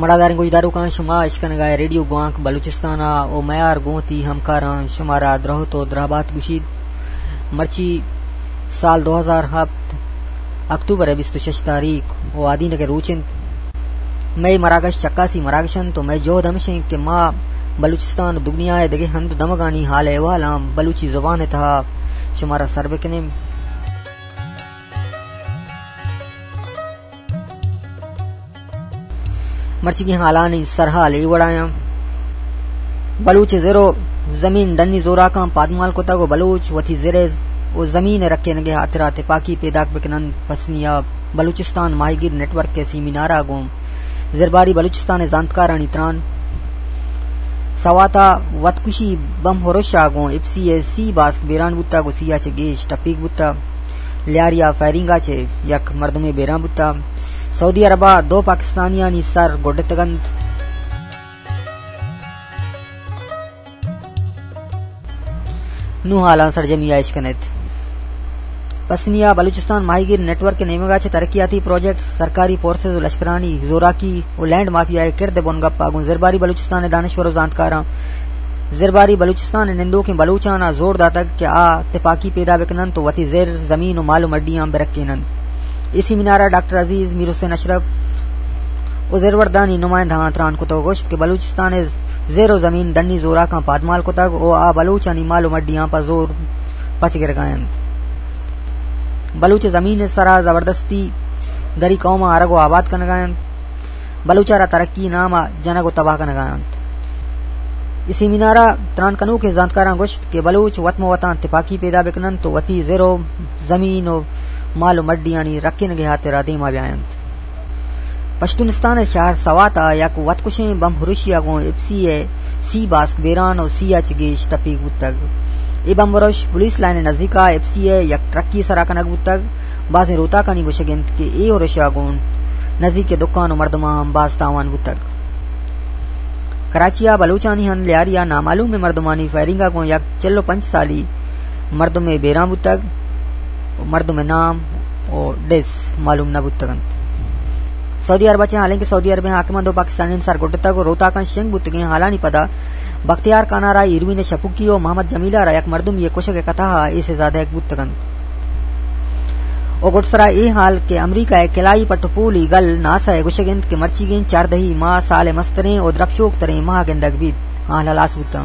مڑاداریں گوشداروکاں، شما اشکنگا ریڈیو گوانک بلوچستان ءَ او میار گوں وتی ہمکاراں شمارا درہت و درہبات گوشیت۔ مرچی سال دو ہزار ہپت اکتوبر ءِ بیست و شش تاریخ و آدینک ءِ روچ انت۔ مئے مراگش چکاسی مراگش انت و مئے جہد ہمش انت کہ ما بلوچستان و دگنیا ءِ دگہ ہند و دمگانی حال احوالاں بلوچی زبان ءِ تہا شمارا سر بکنیں۔ مرچیگیں حالانی سرحال اے وڑایاں۔ بلوچ زر و زمین ڈنی زوراکاں پادمال کتگ و بلوچ وتی زر و زمین رکینگے ہاترا تپاکی پیداک بکنن۔ پسنیا بلوچستان ماہیگیر نیٹ ورک ءِ سیمینارا گوں زرباری بلوچستان ءِ زانتکارانی تران۔ سواتا وتکشی بم ہرشا گوں ایف سی ءِ سی باسک بیران بوتگ و سی ءَ چہ گیش ٹپیک بوتگ۔ لیاریا فائرنگا چہ یک مردمے بیران بوتگ۔ سعودی عربا دو پاکستانیانی سر گڈتگ انت۔ نوں حالاں سرجمی ءَ اشکن ات۔ پسنی ءَ بلوچستان ماہیگیر نیٹ ورک ءِ نیمگ ءَ چہ ترقیاتی پروجیکٹ، سرکاری فورسز و لشکرانی زوراکی و لینڈ مافیا ءِ کرد ءِ بنگپ ءَ گوں زرباری بلوچستان ءِ دانشور و زانتکاراں زرباری بلوچستان ءِ نندوکیں بلوچاں ءَ زور داتگ کہ آ تپاکی پیدا بکن انت و وتی زر، زمین و مال و مڈیاں برکین انت۔ اے سیمینار ءَ ڈاکٹر عزیز، میر حسین اشرف و زروردانی نمائندہاں تران کتگ و گوشت کہ بلوچستان ءِ زر و زمین ڈنی زوراکاں پادمال کتگ و آ بلوچانی مال و مڈیاں پہ زور پچ گرگ ءَ انت۔ بلوچ زمین ءِ سرا زبردستی دری قوماں آرگ و آباد کنگ ءَ انت۔ بلوچ ءَ را ترقی نام ءَ جنگ و تباہ کنگ ءَ انت۔ اے سیمینار ءَ تران کنوکیں زانتکاراں گوشت کہ بلوچ وت مہ وتاں تپاکی پیدا بکن انت و وتی زر و زمین و مال و مڈیانی رکینگ ءِ ہاترا دیما بیاینت۔ پشتونستان ءِ شہر سوات ءَ یک وتکشیں بم ہرشی ءَ گوں ایف سی ءِ سی باسک بیران و سی ءَ چہ گیش ٹپیگ بوتگ۔ اے بم ہرش پولیس لائن ءِ نزیک ءَ ایف سی ءِ یک ٹرکی ءِ سرا کنگ بوتگ۔ بازیں روتاکانی گوشگ انت کہ اے ہرش ءَ گوں نزیک ءِ دکان و مردماں ہم باز تاوان بوتگ۔ کراچی ءَ بلوچانی ہند لیاری ءَ نامعلومیں مردمانی فائرنگ ءَ گوں یک چل و پنچ سالی مردمے بیران بوتگ۔ مردم ءِ نام و ڈس معلوم نہ بوتگ انت۔ سعودی عرب ءَ چہ حالانکہ سعودی عرب ءِ حاکماں دو پاکستانیانی سر گڈتگ و روتاکاں شنگ بوتگیں حالانی پدا بختیار کانارا، ایروین شپوکی و محمد جمیل ءَ را یک مردمے ءِ کشگ ءِ کتہ ءَ اے سزا دئیگ بوتگ انت۔ و گڈسرا اے حال کہ امریکہ ءِ کلائی پٹ و پولی گل ناسا ءِ گوشگ انت کہ مرچیگیں چاردہی ماہ سال ءِ مستریں و درپشوک تریں ماہ گندگ بیت، آ ہلاس بوتاں۔